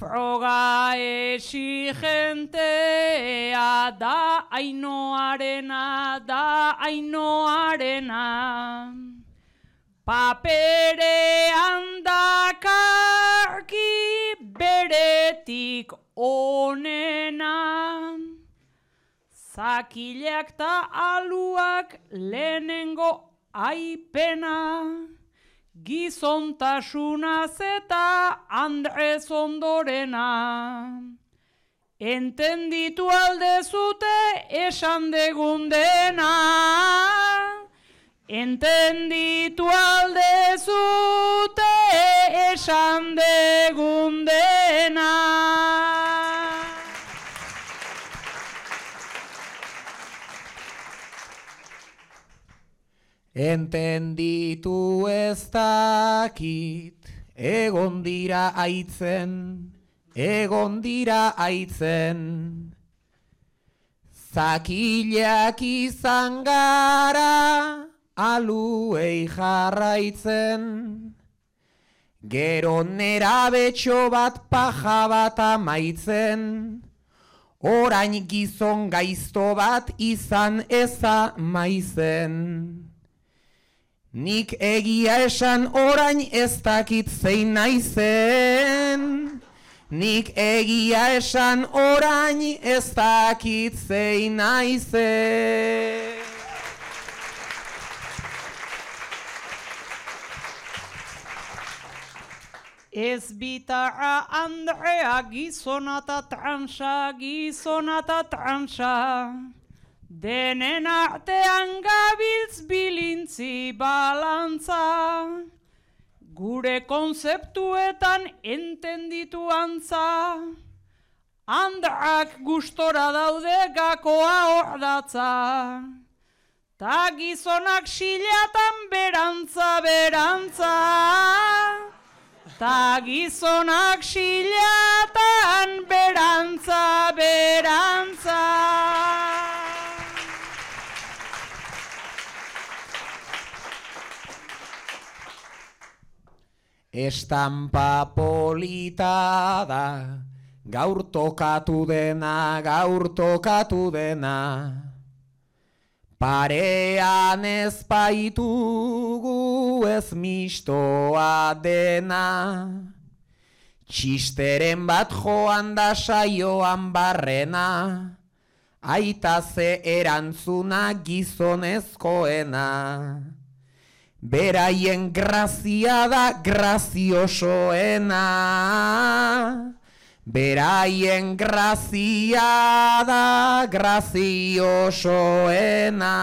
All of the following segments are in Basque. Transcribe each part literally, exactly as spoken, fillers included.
Froga exigentea da Ainoarena, da Ainoarena. Paperean dakarki beretik onena. Zakileak ta aluak lehenengo aipena. Gizontasunaz eta Andrez ondorena. Entenditu aldezute esan degun dena. Entenditu aldezute esan degun dena. Entenditu ez dakit, egon dira aitzen, egon dira aitzen. Zakileak izan gara, aluei jarraitzen. Gero nerabetxo bat paja bat amaitzen. Orain gizon gaizto bat izan eza maizen. Nik egia esan orain ez dakit zein naizen. Nik egia esan orain ez dakit zein naizen. Ez bitarra Andrea gizona ta transa, gizona ta transa. Denen artean gabiltz bilintzi balantza. Gure konzeptuetan entenditu antza. Andrak gustora daude gakoa ordatza. Ta gizonak xilatan berantza, berantza. Ta gizonak xilatan berantza, berantza. Estampa polita da, gaur tokatu dena, gaur tokatu dena. Parean ez baitugu ez mistoa dena. Txisteren bat joan da saioan barrena. Aita ze erantzuna gizonezkoena. Beraien grazia da graziosoena. Beraien grazia da graziosoena.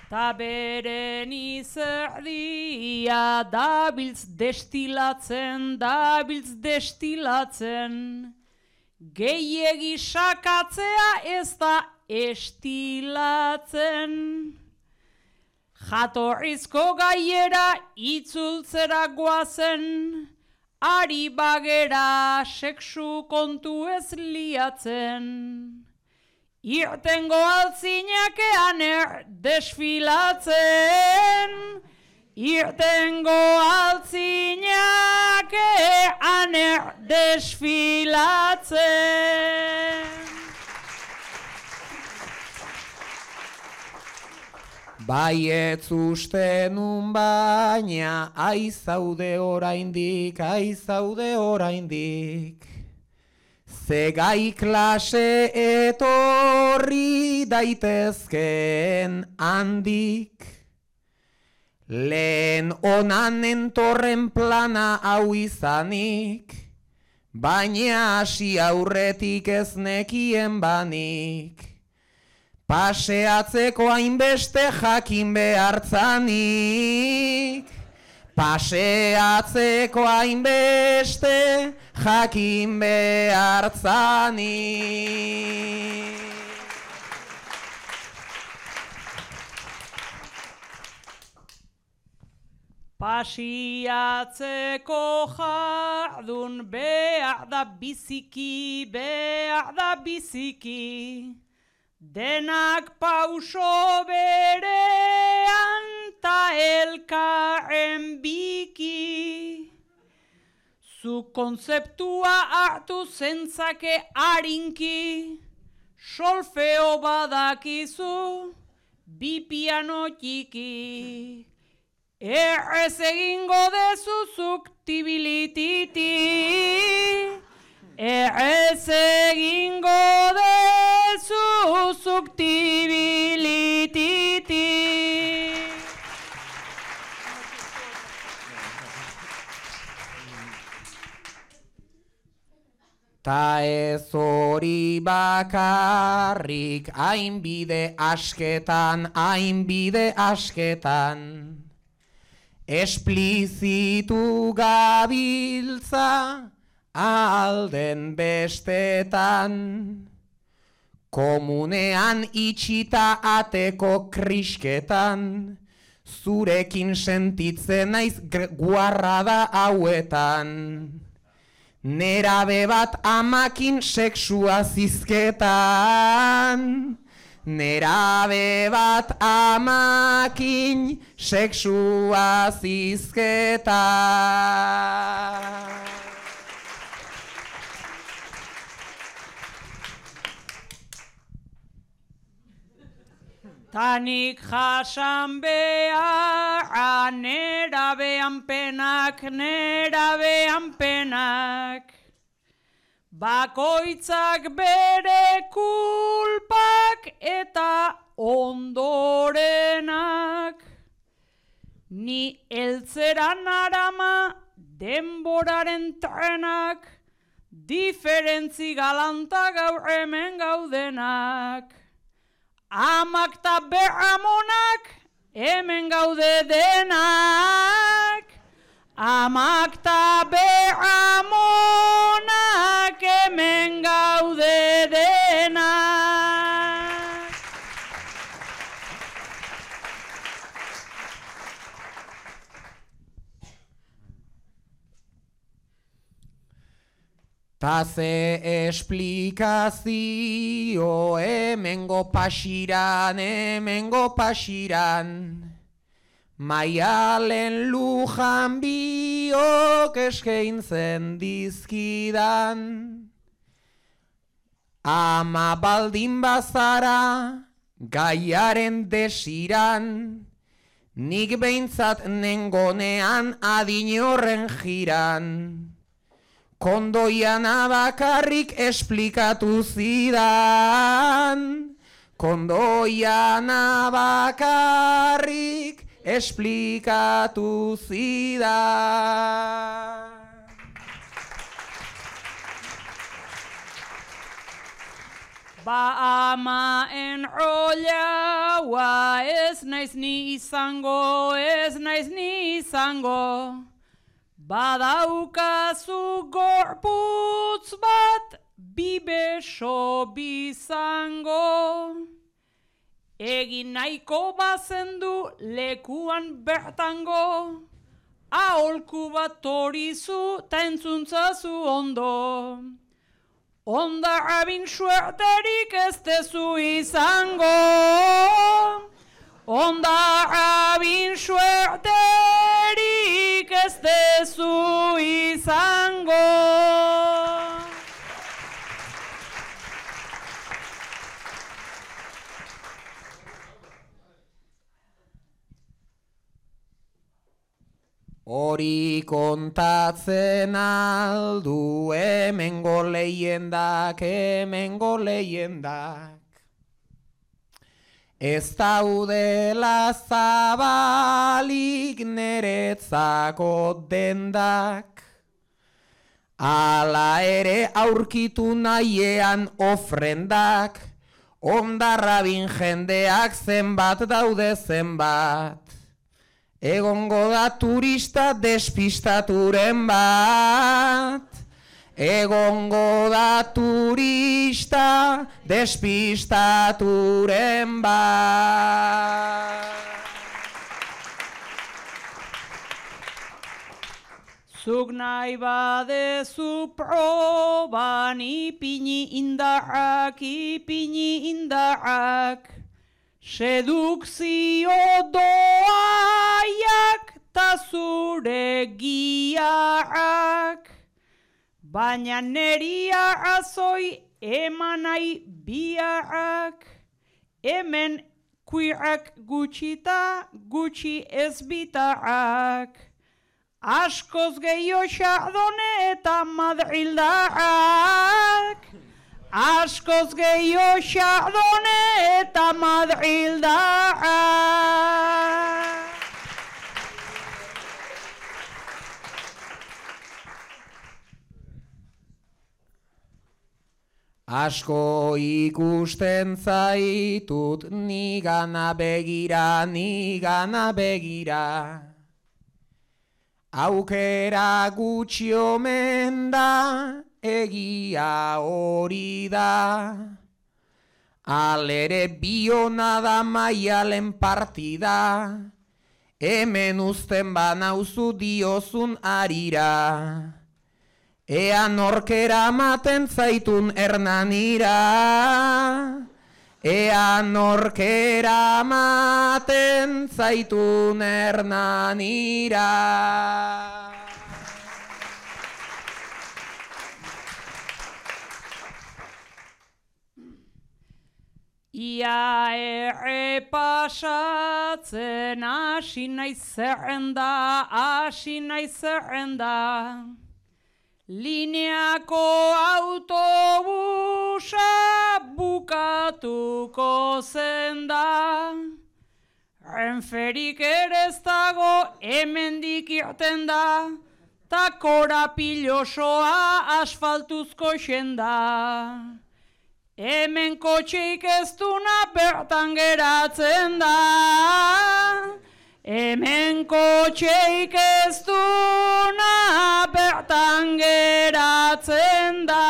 Ta beren izerdia dabiltz destilatzen, dabiltz destilatzen. Gehiegi sakatzea ez da estilatzen. Jatorrizko gaiera itzultzera guazen, ari bagera sexu kontu ez liatzen. Irtengo altzinekean er desfilatzen, irtengo altzinekean er desfilatzen. Baietz uste nun baina, aizaude oraindik, aizaude oraindik. Zegai klase etorri daitezkeen handik. Lehen onan entorren plana hau izanik, baina hasi aurretik ez nekien banik. Paseatzeko hainbeste jakin behartzanik. Paseatzeko hainbeste jakin behartzanik. Pasiatzeko jardun behar da biziki, behar da biziki. Denak pauso berean ta elkar zen biki. Zu kontzeptua hartu zentzake harinki, solfeo badakizu, bi piano txiki. Errez egingo dezuzuk tibilititi, errez egingo dezuzuk tibilititi. Ta ez hori bakarrik, hainbide asketan, hainbide asketan. Esplizitu gabiltza alden bestetan. Komunean itxita ateko krisketan, zurekin sentitzen naiz guarrada hauetan. Nerabe bat amakin seksua zizketan. Nerabe bat amakin seksua zizketan. Tanik jasan behar, nerabean penak, nerabean penak. Bakoitzak bere kulpak eta ondorenak. Ni eltzeran arama denboraren trenak, diferentzi galanta gaur hemen gaudenak. Amak ta berramonak hemen gaude denak. Amak ta berramonak hemen gaude denak. Ta ze esplikazio hemengo pasiran, hemengo pasiran. Maialen lujan biok eskaintzen dizkidan. Ama baldin bazara gaiaren desiran, nik behintzat nengonean adin horren jiran. Kondoiana bakarrik esplikatu zidan. Kondoiana bakarrik esplikatu zidan. Ba ama enrollaua, ez naiz ni izango, ez naiz ni izango. Badaukazu gorputz bat, bi beso bizango. Egin nahiko bazendu lekuan bertango, aholku bat torizu ta entzuntzazu ondo. Onda abin suerterik ez dezu izango. Onda abin suerterik ez dezu izango. Hori kontatzen aldu hemengo leyendak, hemengo leyendak. Ez daudela zabalik neretzako dendak. Hala ere aurkitu nahiean ofrendak, ondarrabin jendeak zenbat daude zenbat. Egongo da turista despistaturen bat. Egongo da turista despistaturen bat. Zuk nahi badezu proban ipini indarrak, ipini indarrak. Sedukzio doaiak ta zu zure giaak, baina neria azoi eman nahi biak, hemen kuiak gutxita gutxi ez bitaak, askoz gehiago Xardone eta Madrildak, askoz gehiago Xardone eta Madrildak. Asko ikusten zaitut nigana begira, nigana begira. Aukera gutxi omen da, egia hori da. Alere biona da Maialen partida, hemen uzten banauzu diozun arira. Ea norkera maten zaitun Hernanira, ea norkera maten zaitun Hernanira. Ia errepasatzen hasi naiz zerrenda, hasi naiz zerrenda. Lineako autobusa bukatuko zen da. Renferik ere ez dago hemendik irten da, ta korapilosoa asfaltuzko xenda. Hemen kotxeik ez duna bertan geratzen da. Hemen kotxeik ez duna bertan geratzen da.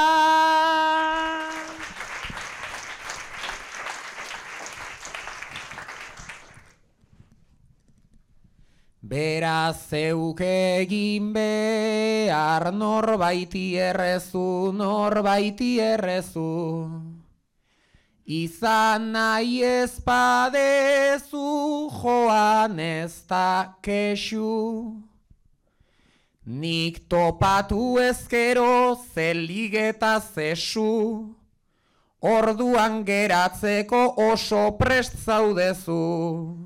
Beraz zeuk egin behar norbaiti errezu, norbaiti errezu. Izan nahi ez badezu joan ez da kexu. Nik topatu ezkero zeligeta zesu, orduan geratzeko oso prest zaudezu.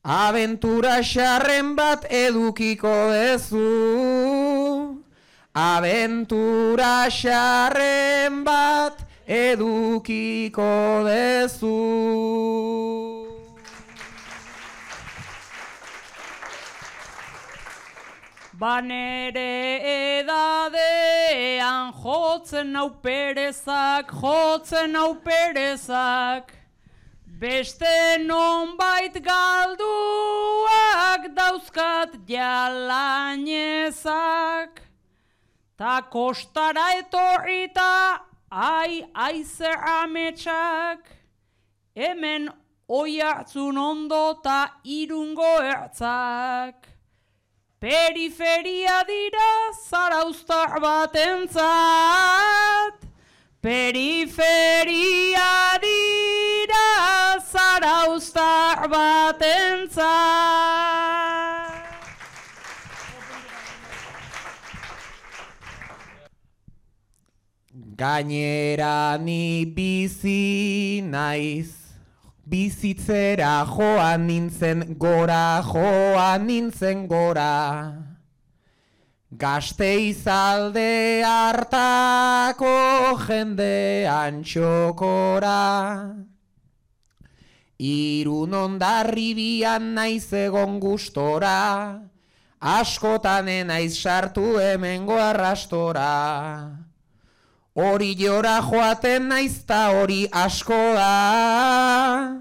Abentura xarren bat edukiko dezu, abentura xarren bat edukiko dezu. Banere edadean jotzen nau perezak, jotzen nau perezak. Beste nonbait galduak dauzkat jalainezak. Ta kostara etorrita ai aize ametsak. Hemen oiartzun ondo ta Irungo ertzak. Periferia dira zarauztar batentzat. Periferia dira zarauztar batentzat. Gainera ni bizi naiz, bizitzera joan nintzen gora, joan nintzen gora. Gasteiz alde hartako jendean txokora. Irun Hondarribian naiz egon gustora, askotan naiz sartu hemengo arrastora. Hori jora joaten naiz ta hori asko da,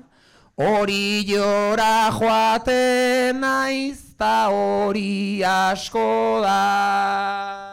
hori jora joaten naiz ta hori asko da.